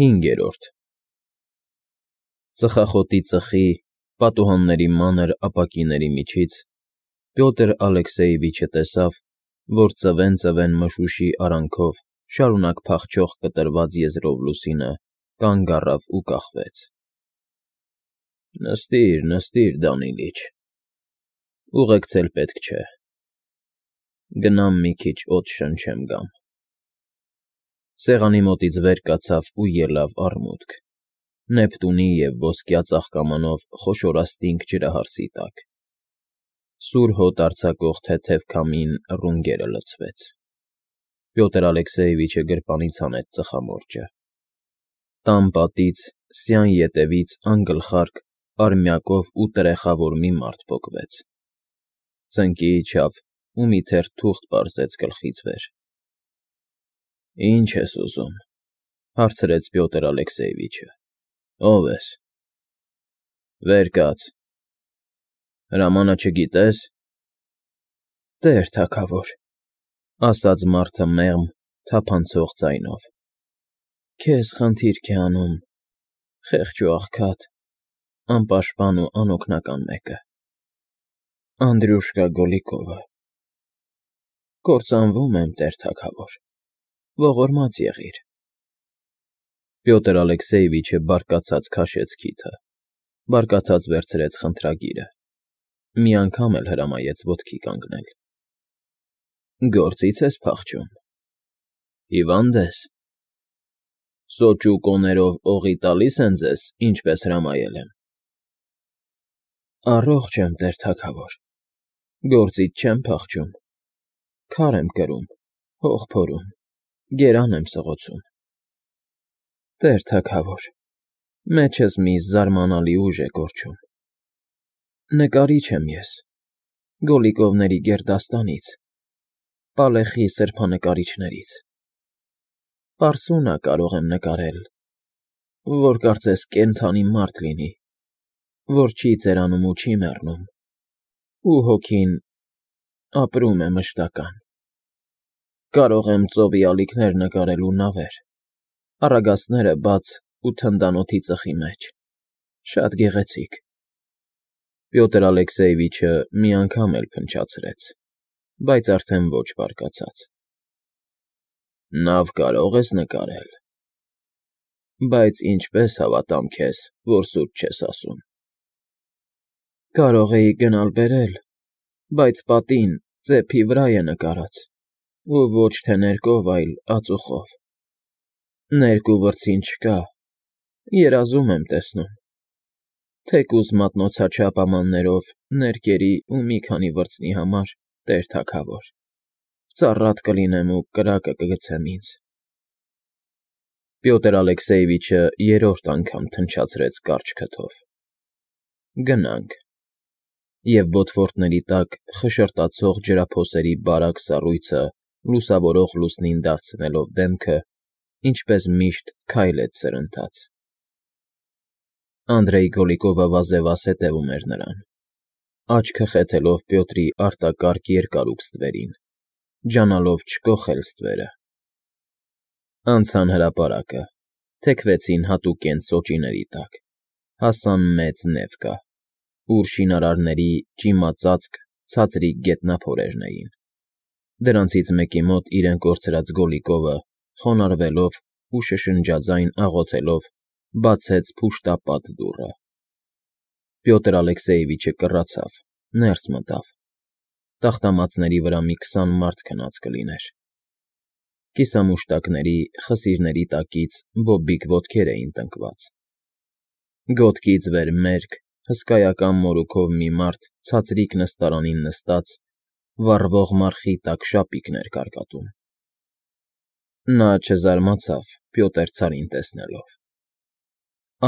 5. Ծխախոտի ծխի, պատուհանների մանր ապակիների միջից Պյոտր Ալեքսեևիչը տեսավ, որ ծվեն մշուշի արանքով շարունակ փախչող կտրված եզրով Լուսինը կանգ առավ ու կախվեց։ Նստիր, Դանիլիչ, ուղեկցել պետք չէ, գնամ մի քիչ օդ շնչեմ գամ։ Սեղանի մոտից վեր կացավ ու ելավ առմուտք, Նեպտունի և ոսկյա ծաղկամանով խոշորաստինք ջրահարսի տակ։ Սուր հոտ արձակող թեթև քամին ռունգերը լցվեց։ Պյոտր Ալեքսեևիչը գրպանից հանեց ծխամորճը։ Տան պատից, սյան ետևից անգլխարկ, արմյակով ու տրեխավոր մի մարդ պոկվեց։ Ծնկի իջավ ու մի թերթ թուղթ պարզեց գլխից վեր։ Ինչ ես ուզում, հարցրեց Պյոտր Ալեքսեևիչը։ Ո՞վ ես։ Վեր կաց։ Հրամանը չգիտես։ Տեր թագավոր, ասաց մարդը մեղմ, թափանցող ձայնով։ Քեզ խնդիրք է անում, խեղճ ու աղքատ, անպաշտպան ու անօգնական մեկը։ Անդրյուշկա Գոլիկովը։ Կործանվում եմ, տեր թագավոր, ողորմած եղիր։ Պյոտր Ալեքսեևիչը բարկացած քաշեց քիթը, բարկացած վերցրեց խնդրագիրը, մի անգամ էլ հրամայեց ոտքի կանգնել։ Գործից ես փախչում։ Հիվա՞նդ ես։ Սոճ ու կոներով օղի տալիս են ձեզ, ինչպես հրամայել եմ։ Առողջ եմ, տեր թագավոր, գործից չեմ փախչում, քար եմ կրում, հող փորում, գերան եմ սղոցում։ Տեր թագավոր, մեջս մի զարմանալի ուժ է կորչում։ Նկարիչ եմ ես, Գոլիկովների գերդաստանից, Պալեխի սրբանկարիչներից։ Պարսունա կարող եմ նկարել, որ կարծես կենդանի մարդ լինի, որ չի ծերանում ու չի մեռնում, ու հոգին ապրում է մշտական։ Կարող եմ ծովի ալիքներ նկարել ու նավեր, առագաստները բաց ու թնդանոթի ծխի մեջ, շատ գեղեցիկ։ Պյոտր Ալեքսեևիչը մի անգամ էլ փնչացրեց, բայց արդեն ոչ բարկացած։ Նավ կարող ես նկարել, բայց ինչպես հավատամ քեզ, որ սուտ չես ասում։ Կարող էի գնալ֊բերել, բայց պատին, ծեփի վրա է նկարած, ու ոչ թե ներկով, այլ ածուխով։ Ներկ ու վրձին չկա, երազում եմ տեսնում։ Թեկուզ մատնոցաչափ ամաններով ներկերի ու մի քանի վրձնի համար, տեր թագավոր, ծառատ կլինեմ ու կրակը կգցեմ ինձ։ Պյոտր Ալեքսեևիչը երրորդ անգամ թնչացրեց կարճ քթով։ Գնանք։ Եվ բոթվորտների տակ խշրտացող ջրափոսերի բարակ սառույցը լուսավորող լուսնին դարձնելով դեմքը, ինչպես միշտ քայլեց սրընթաց։ Անդրեյ Գոլիկովը վազևազ հետևում էր նրան, աչքը խեթելով Պյոտրի արտակարգ երկարուկ ստվերին, ջանալով չկոխել ստվերը։ Անցան հրապարակը, թեքվեցին հատուկենտ սոճիների տակ, հասան մեծ նևկա, ուր շինարարների ճիմածածկ ցածրիկ գետնափորերն էին։ Դրանցից մեկի մոտ իրեն կորցրած Գոլիկովը, խոնարհվելով ու շշնջաձայն աղոթելով, բացեց փուշտապատ դուռը։ Պյոտր Ալեքսեևիչը կռացավ, ներս մտավ։ Տախտամածների վրա մի 20 մարդ քնած կլիներ։ Կիսամուշտակների, խսիրների տակից բոբիկ ոտքեր էին տնկված։ Գոտքից վեր մերկ, հսկայական մորուքով մի մարդ ցածրիկ նստարանին նստած, վառվող մարխի տակ շապիկն էր կարկատում։ Նա չզարմացավ Պյոտր ցարին տեսնելով։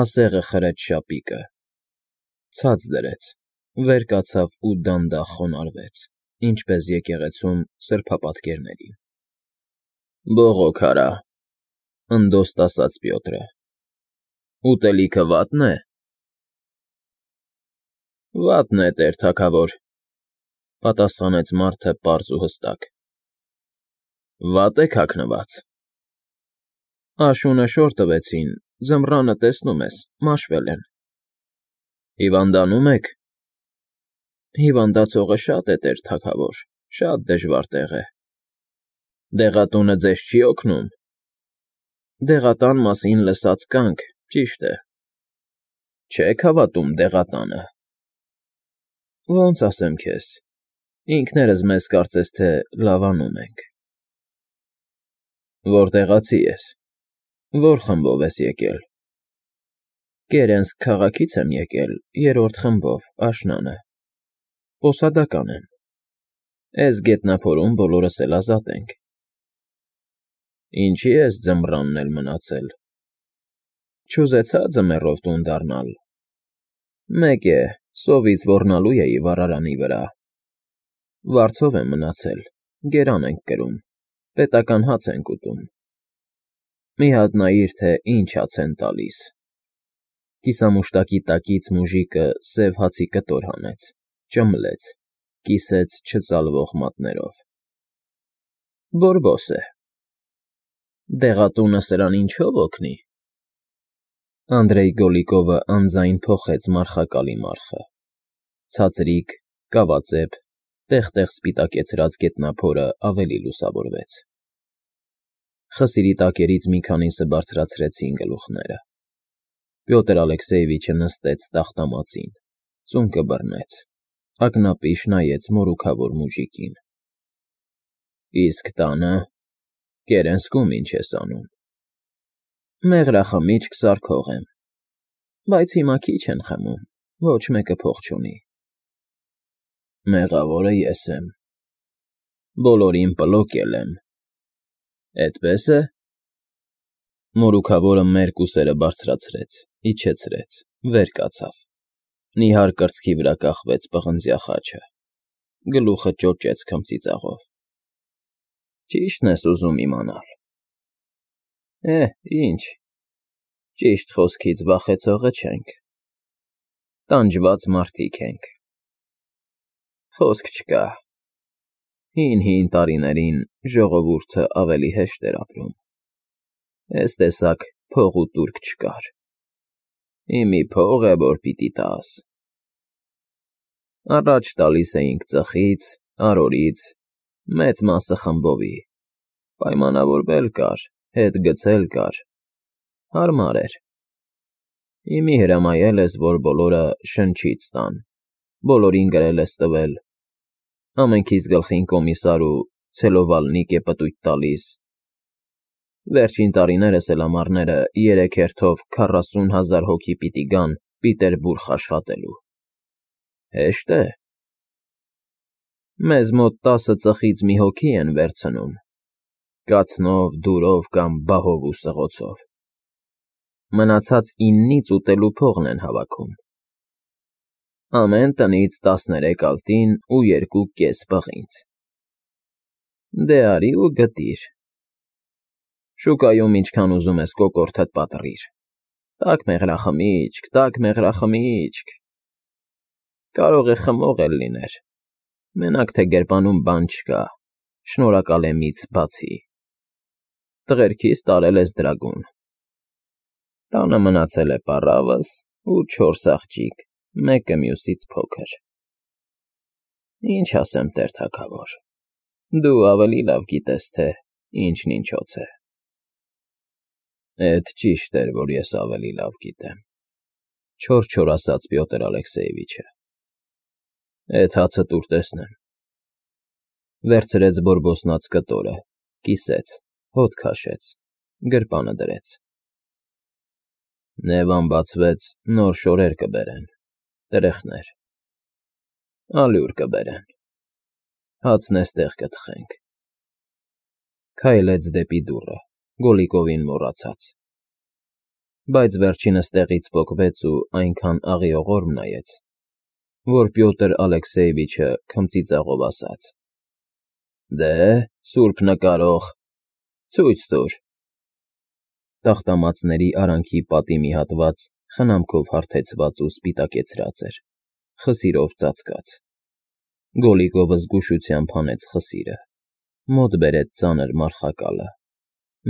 Ասեղը խրեց շապիկը, ցած դրեց, վեր կացավ ու դանդաղ խոնարհվեց, ինչպես եկեղեցում սրբապատկերներին։ Բողոք արա, ընդոստ ասաց Պյոտրը։ Ուտելիքը վատն է։ Վատն է, տեր թագավոր, պատասխանեց մարդը պարզ ու հստակ։ Վատ եք հագնված։ Աշունը շոր տվեցին, ձմռանը տեսնում ես, մաշվել են։ Հիվանդանում եք։ Հիվանդացողը շատ է, տեր թագավոր, շատ դժվար տեղ է։ Դեղատունը ձեզ չի օգնում։ Դեղատան մասին լսած կանք, ճիշտ է։ Չեք հավատում դեղատանը։ Ոնց ասեմ քեզ, ինքներս մեզ կարծես թե լավանում ենք։ Որտեղացի ես, որ խմբով ես եկել։ Կերենսկ քաղաքից եմ եկել, 3-րդ խմբով, աշնանը։ Պոսադական եմ։ Էս գետնափորում բոլորս էլ ազատ ենք։ Ինչի ես ձմռանն էլ մնացել։ Չուզեցա ձմեռով տուն դառնալ։ Մեկ է, սովից ոռնալու էի վառարանի վրա։ Վարձով եմ մնացել, գերան ենք կրում, պետական հաց ենք ուտում։ Մի հատ նայիր, թե ինչ հաց են տալիս։ Կիսամուշտակի տակից մուժիկը սև հացի կտոր հանեց, ճմլեց, կիսեց չծալվող մատներով։ Բորբոս է։ Դեղատունը սրան ինչով օգնի։ Անդրեյ Գոլիկովը անձայն փոխեց մարխակալի մարխը։ Ցածրիկ, կավածեպ, տեղ-տեղ սպիտակեցրած գետնափորը ավելի լուսավորվեց։ Խսիրի տակերից մի քանիսը բարձրացրեցին գլուխները։ Պյոտր Ալեքսեևիչը նստեց տախտամածին, ծունկը բռնեց, ակնապիշ նայեց մորուքավոր մուժիկին։ Իսկ տանը, Կերենսկում ինչ ես անում։ Մեղրախմիչք սարքող եմ, բայց հիմա քիչ են խմում, ոչ մեկը փող չունի։ Մեղավորը ես եմ։ Բոլորին պլոկել եմ։ Էդպես է։ Մորուքավորը մերկ ուսերը բարձրացրեց, իջեցրեց, վեր կացավ։ Նիհար կրծքի վրա կախվեց պղնձյա խաչը։ Գլուխը ճոճեց քմծիծաղով։ Ճիշտն ես ուզում իմանալ։ Ինչ, ճիշտ խոսքից վախեցողը չենք։ Տանջված մարդիկ ենք։ Խոսք չկա։ Հին տարիներին ժողովուրդը ավելի հեշտ էր ապրում։ Էս տեսակ փող ու տուրք չկար։ Իմի փող է, որ պիտի տաս։ Առաջ տալիս էինք ծխից, արորից, մեծ մասը խմբովի, պայմանավորվել կար, հետ գցել կար, հարմար էր։ Իմի հրամայել ես, որ բոլորը շնչից տան, բոլորին գրել ես տվել, ամենքիս գլխին կոմիսար ու ցելովալնիկ է պտույտ տալիս։ Վերջին տարիներս էլ ամառները 3 հերթով 40,000 հոգի պիտի գան Պիտերբուրգ աշխատելու։ Հեշտ է։ Մեզ մոտ 10 ծխից մի հոգի են վերցնում, կացնով, դուրով կամ բահով ու սղոցով։ Մնացած 9-ից ուտելու փողն են հավաքում։ Ամեն տնից 13 ալտին ու 2 պղինձ։ Դե արի ու գտիր։ Շուկայում ինչքան ուզում ես կոկորդդ պատռիր։ Տաք մեղրախմիչք։ Կարող է խմող էլ լիներ։ Մենակ թե գրպանում բան չկա, շնորհակալ եմ ինձ բացի։ Տղերքիս տարել ես դրագուն։ Տանը մնացել է պառավս ու 4 աղջիկ, մեկը մյուսից փոքր։ Ինչ ասեմ, տեր թագավոր, դու ավելի լավ գիտես, թե ինչն ինչոց է։ Էդ ճիշտ էր, որ ես ավելի լավ գիտեմ, չոր ասաց Պյոտր Ալեքսեևիչը։ Էդ հացը տուր տեսնեմ։ Վերցրեց բորբոսնած կտորը, կիսեց, հոտ քաշեց, գրպանը դրեց։ Նևան բացվեց, նոր շորեր կբերեն, տրեխներ, ալյուր կբերեն, հացն էստեղ կթխենք։ Քայլեց դեպի դուռը, Գոլիկովին մոռացած։ Բայց վերջինս տեղից պոկվեց ու այնքան աղիողորմ նայեց, որ Պյոտր Ալեքսեևիչը քմծիծաղով ասաց. Դե, սուրբ նկարող, ցույց տուր։ Տախտամածների արանքի պատի մի հատված խնամքով հարթեցված ու սպիտակեցրած էր, խսիրով ծածկած։ Գոլիկովը զգուշությամբ հանեց խսիրը, մոտ բերեց ծանր մարխակալը,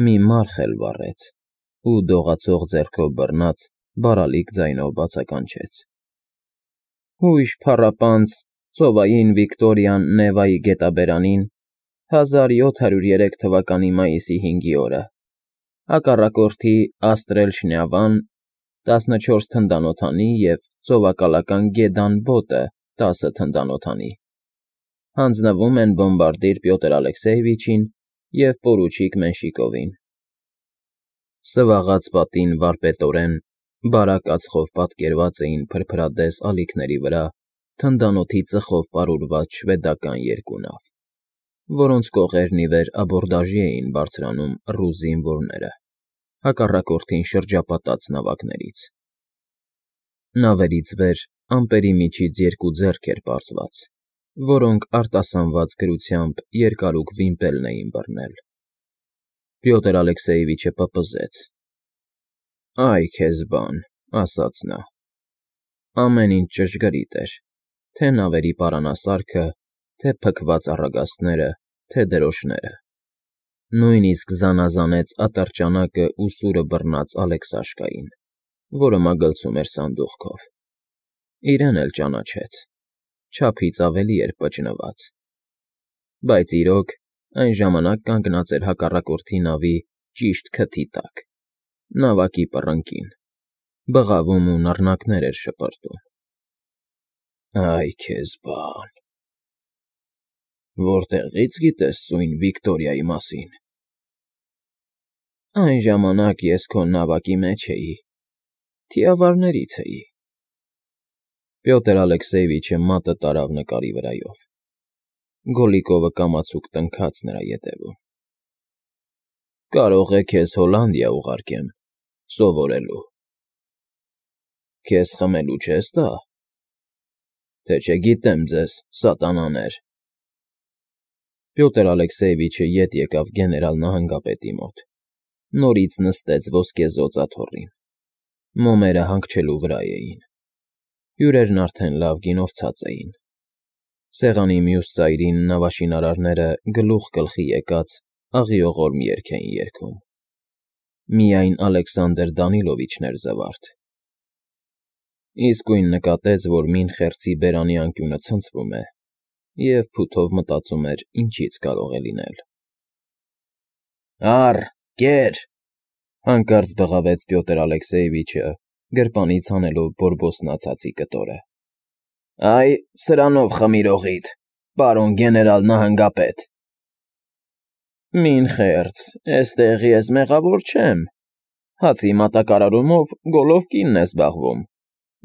մի մարխ էլ վառեց, ու դողացող ձեռքով բռնած բարալիկ ձայնով բացականչեց. Հույժ փառապանծ ծովային Վիկտորիան Նևայի գետաբերանին 1703 թվականի մայիսի 5-ի օրը, հակառակորդի Աստրել Շնյավան 14 թնդանոթանի և ծովակալական Գեդան Բոտը 10 թնդանոթանի, հանձնվում են բոմբարդիր Պյոտր Ալեքսեևիչին և պորուչիկ Մենշիկովին։ Սվաղած պատին վարպետորեն, բարակ ածխով պատկերված էին փրփրադես ալիքների վրա թնդանոթի ծխով պարուրված շվեդական երկու նավ, որոնց կողերն ի վեր աբորդաժի էին բարձրանում ռուս զինվորները, հակառակորդին շրջապատած նավակներից։ Նավերից վեր ամպերի միջից երկու ձեռք էր պարզված, որոնք արտասանված գրությամբ երկարուկ վիմպելն էին բռնել։ Պյոտր Ալեքսեևիչը պպզեց. «Այ քեզ բան», ասաց նա, ամեն ինչ ճշգրիտ էր, թե նավերի պարանասարքը, թե փքված առագաստները, թե դրոշները։ Նույնիսկ զանազանեց ատրճանակը ու սուրը բռնած Ալեքսաշկային, որը մագլցում էր սանդուղքով։ Իրեն էլ ճանաչեց, չափից ավելի էր պճնված, բայց իրոք այն ժամանակ կանգնած էր հակառակորդի նավի ճիշտ քթի տակ, նավակի պռնկին, բղավում ու նռնակներ էր շպրտում։ «Այ քեզ բան, որտեղի՞ց գիտես սույն Վիկտորիայի մասին»։ «Այն ժամանակ ես քո նավակի մեջ էի, թիավարներից էի»։ Պյոտր Ալեքսեևիչը մատը տարավ նկարի վրայով։ Գոլիկովը կամացուկ տնքաց նրա ետևում։ «Կարող է քեզ Հոլանդիա ուղարկեմ, սովորելու»։ «Քեզ խմելու չես տա, թե չգիտեմ ձեզ, սատանաներ»։ Պյոտր Ալեքսեևիչը ետ եկավ գեներալ նահանգապետի մոտ, նորից նստեց ոսկեզօծ աթոռին։ Մոմերը հանգչելու վրա էին։ Հյուրերն արդեն լավ գինովցած էին։ Սեղանի մյուս ծայրին նավաշինարարները գլուխ գլխի եկած աղիողորմ երգ էին երգում։ Միայն Ալեքսանդր Դանիլովիչն էր զվարթ։ Իսկույն նկատեց, որ մին խերցի բերանի անկյունը ցնցվում է, և փութով մտածում էր ինչից կարող է լինել։ «Առ, կեր», հանկարծ բղավեց Պյոտր Ալեքսեևիչը, գրպանից հանելով բորբոսնացածի կտորը։ «Այ, սրանով խմիր օղիդ, պարոն գեներալ նահանգապետ»։ «Մին խերց, էստեղի ես մեղավոր չեմ, հացի մատակարարումով Գոլովկինն է զբաղվում,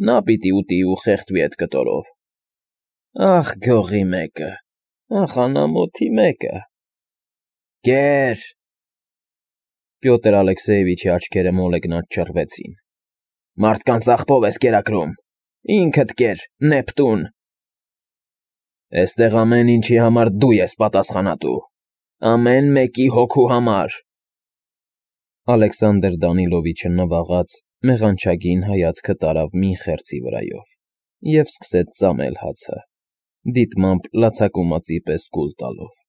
նա պիտի ուտի ու խեղդվի էդ կտորով։ Ախ, գողի մեկը, ախ, անամոթի մեկը։ Կեր»։ Պյոտր Ալեքսեևիչի աչքերը մոլեգնած չռվեցին։ «Մարդկանց աղբով ես կերակրում, ինքդ կեր, Նեպտուն։ Էստեղ ամեն ինչի համար դու ես պատասխանատու, ամեն մեկի հոգու համար»։ Ալեքսանդր Դանիլովիչը նվաղած մեղանչագին հայացքը տարավ մին խերցի վրայով և սկսեց ծամել հացը, դիտմամբ լացակումածի պես կուլ տալով։